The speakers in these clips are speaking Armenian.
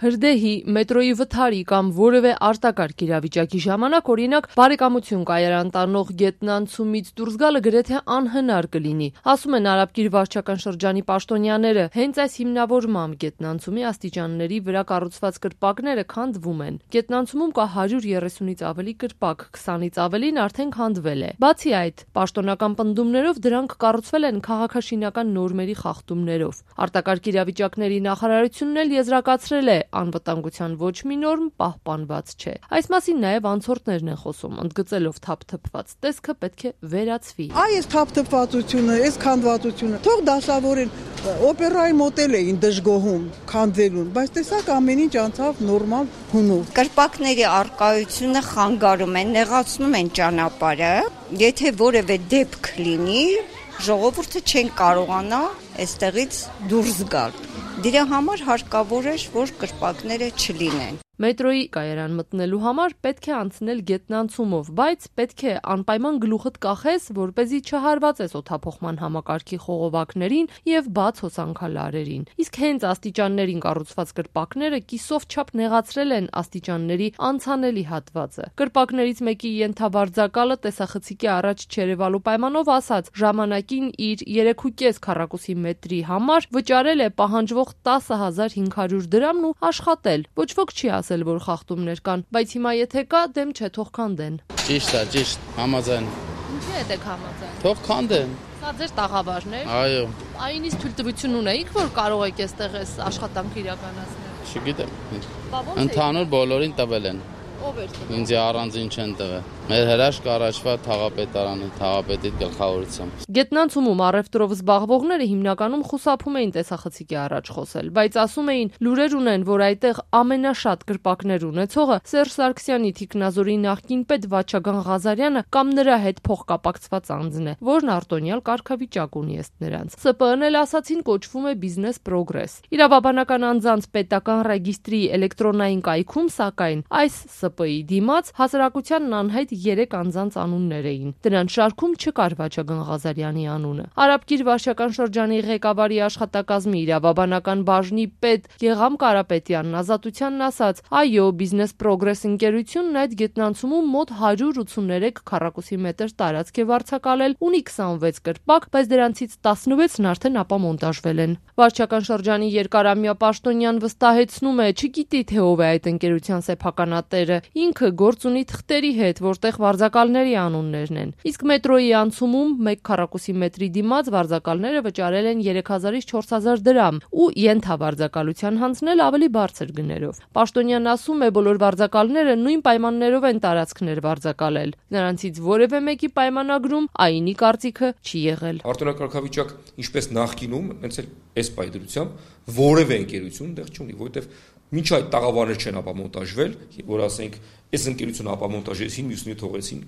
Հրդեհի, մետրոյի վթարի կամ որևէ արտակարգ իրավիճակի ժամանակ, օրինակ, բարեկամություն կայարան տանող գետնանցումից դուրս գալը գրեթե անհնար կլինի, ասում են Արաբկիր վարչական շրջանի պաշտոնյաները։ Հենց այս հիմնավորմամբ գետնանցումի աստիճանների վրա կառուցված կրպակները քանդվում են։ Գետնանցումում կա 130-ից ավելի կրպակ, 20-ից ավելին արդեն քանդվել է։ Բացի այդ, պաշտոնական պնդումներով դրանք կառուցվել են քաղաքաշինական նորմերի խախտումներով։ Արտակարգ իրավիճակների նախարարությունն էլ եզրակացրել է, անվտանգության ոչ մի նորմ պահպանված չէ։ Այս մասին նաև անցորդներն են խոսում, ընդգծելով թափթփված տեսքը պետք է վերացվի։ Այս թափթփվածությունը, այս քանդվածությունը, թող դասավորեն, օպերայի մոտել էին դժգոհում քանդվելուն, բայց տեսակ ամեն ինչ անցավ նորմալ հունով։ Կրպակների առկայությունը խանգարում են, նեղացնում են ճանապարհը, եթե որևէ դեպք լինի, ժողովուրդը չեն կարողանա այստեղից դուրս գալ։ Դրա համար հարկավոր է, որ կրպակները չլինեն։ Մետրոյի կայարան մտնելու համար պետք է անցնել գետնանցումով, բայց պետք է անպայման գլուխդ կախես, որպեսզի չհարվածես օդափոխման համակարգի խողովակներին եւ բաց հոսանքալարերին։ Իսկ հենց աստիճաններին կառուցված կրպակները կիսով չափ նեղացրել են աստիճանների անցանելի հատվածը։ Կրպակներից մեկի ենթավարձակալը տեսախցիկի առաջ չերևալու պայմանով ասաց, ժամանակին իր 3.5 քառակուսի մետրի համար վճարել է պահանջվող 10.500 դրամն ու աշխատել։ Ոչ ոք չի ասել, որ խախտումներ կան, բայց հիմա եթե կա, դեմ չէ, թող քանդեն։ Ճիշտ է, ճիշտ, համաձայն։ Ինչի՞ է դեք համաձայն։ Թող քանդեն։ Սա ձեր տաղավարն է։ Այո։ Այնից թույլտվություն ունեիք, որ կարող եք այստեղ աշխատանք իրականացնել։ Չգիտեմ։ Ընդհանուր բոլորին տվել են։ Ով էր տվել։ Ինձ առանձին չեն տվել։ Մեր հրաշք առաջվա թաղապետարանի, թաղապետի գլխավորությամբ։ Գետնանցումում առևտրով զբաղվողները հիմնականում խուսափում էին տեսախցիկի առաջ խոսել, բայց ասում էին, լուրեր ունեն, որ այդտեղ ամենաշատ կրպակներ ունեցողը Սերժ Սարգսյանի թիկնազորի նախկին պետ Վաչագան Ղազարյանը կամ նրա հետ փոխկապակցված անձն է, որն արտոնյալ կարգավիճակ ունի ըստ նրանց։ ՍՊԸ-ն էլ ասացին կոչվում է Business Progress։ Իրավաբանական անձանց պետական ռեգիստրի էլեկտրոնային կայքում, սակայն, այս ՍՊԸ-ի դիմաց հասարակությանն անհայտ 3 անձանց անուններ էին։ Դրանց շարքում չկար Վաչագան Ղազարյանի անունը։ Արաբկիր վարչական շրջանի ղեկավարի աշխատակազմի իրավաբանական բաժնի պետ Գեգամ Կարապետյանն ազատությանն ասաց. «Այո, Business Progress ընկերությունն այդ գետնանցումում մոտ 183 քառակուսի մետր տարածք է վարձակալել, ունի 26 կրպակ, բայց դրանցից 16-ն արդեն ապամոնտաժվել են»։ Վարչական շրջանի երկարամյա պաշտոնյան վստահեցնում է, չգիտի թե ով է այդ ընկերության սեփականատերը, ինքը գործ ունի թղթերի հետ, որտեղ վարձակալների անուններն են։ Իսկ մետրոյի անցումում 1 քառակուսի մետրի դիմաց վարձակալները վճարել են 3000-ից 4000 դրամ ու ենթավարձակալության հանձնել ավելի բարձր գներով։ Պաշտոնյանն ասում է, բոլոր վարձակալները նույն պայմաններով են տարածքներ վարձակալել։ Նրանցից որևէ մեկի պայմանագրում ԱԻՆ-ի կարծիքը չի եղել։ Արտոնական ինչպես նախկինում, հենց այս պայդրությամբ որևէ ընկերություն դեռ չունի, որովհետև մինչ այդ տաղավարներ չեն ապամոնտաժվել, որ ասենք այս ընկերությունը ապամոնտաժեցին, մյուսները թողեցին,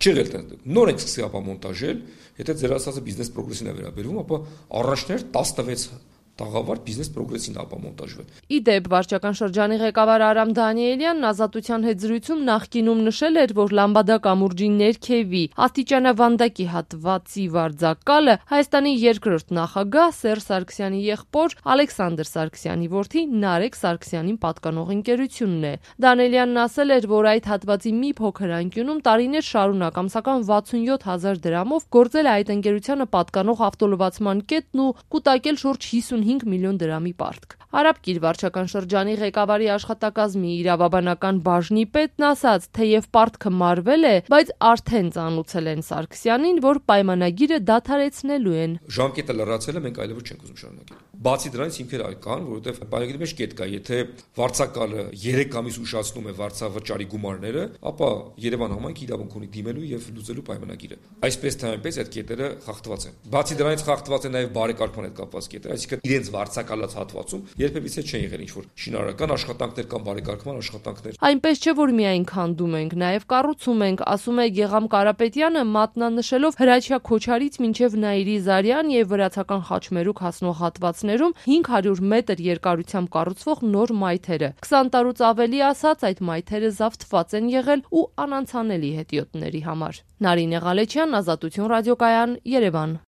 չեղել տենց։ Նոր ենք սկսի ապամոնտաժել, եթե ձեր ասածը Business Progress-ին է վերաբերվում, ապա առաջներ 16 տաղավար Business Progress-ին ապամոնտաժվել։ Իդեպ վարչական շրջանի ղեկավար Արամ Դանիելյանն ազատության հետ զրույցում նախկինում նշել էր, որ Լամբադա կամուրջի ներքևի աստիճանավանդակի հատվածի վարձակալը Հայաստանի երկրորդ նախագահ Սերժ Սարգսյանի եղբոր Ալեքսանդր Սարգսյանի որդի Նարեկ Սարգսյանին պատկանող ընկերությունն է։ Դանիելյանն ասել էր, որ այդ հատվածի մի փոքր անկյունում տարիներ շարունակ ամսական 67000 դրամով գործել է այդ ընկերությանը պատկանող ավտոլվացման կետն ու կուտակել շուրջ 55 միլիոն դրամի պարտք։ Արաբկիր վարչական շրջանի ղեկավարի աշխատակազմի իրավաբանական բաժնի պետն ասաց, թեև պարտքը մարվել է, բայց արդեն ծանուցել են Սարգսյանին, որ պայմանագիրը դադարեցնելու են։ Ժամկետը լրացել է, մենք այլևս չենք ուզում շարունակել։ Բացի դրանից հիմքեր կան, որովհետև պայմանագրի մեջ կետ կա, եթե վարձակալը 3 ամիս ուշացնում է վարձավճարի գումարները, ապա Երևան համայնքի իրավունք ունի դիմելու եւ լուծելու պայմանագիրը։ Այսպես թե այնպես այդ կետերը խախտված են։ Բացի դրանից խախտված են նաեւ բարեկարգման հետ կապված կետեր, այսինքն իրենց վարձակալած հատվածում երբևիցե չեն եղել ինչ-որ շինարարական աշխատանքներ կամ բարեկարգման աշխատանքներ։ Այնպես չէ, որ միայն քանդում ենք, նաև կառուցում ենք, ասում է Գեգամ Կարապետյանը, մատնանշելով Հրաչյա Քոչարից մինչև Նաիրի Զարյան եւ Վրացական Խաչմերուկ հասնող հատվածներում 500 մետր երկարությամբ կառուցվող նոր մայթերը։ 20 տարուց ավելի ասած, այդ մայթերը զավթված են եղել ու անանցանելի հետիոտների համար։ Նարինե Ղալեչյան, Ազատություն ռադիոկայան, Երևան։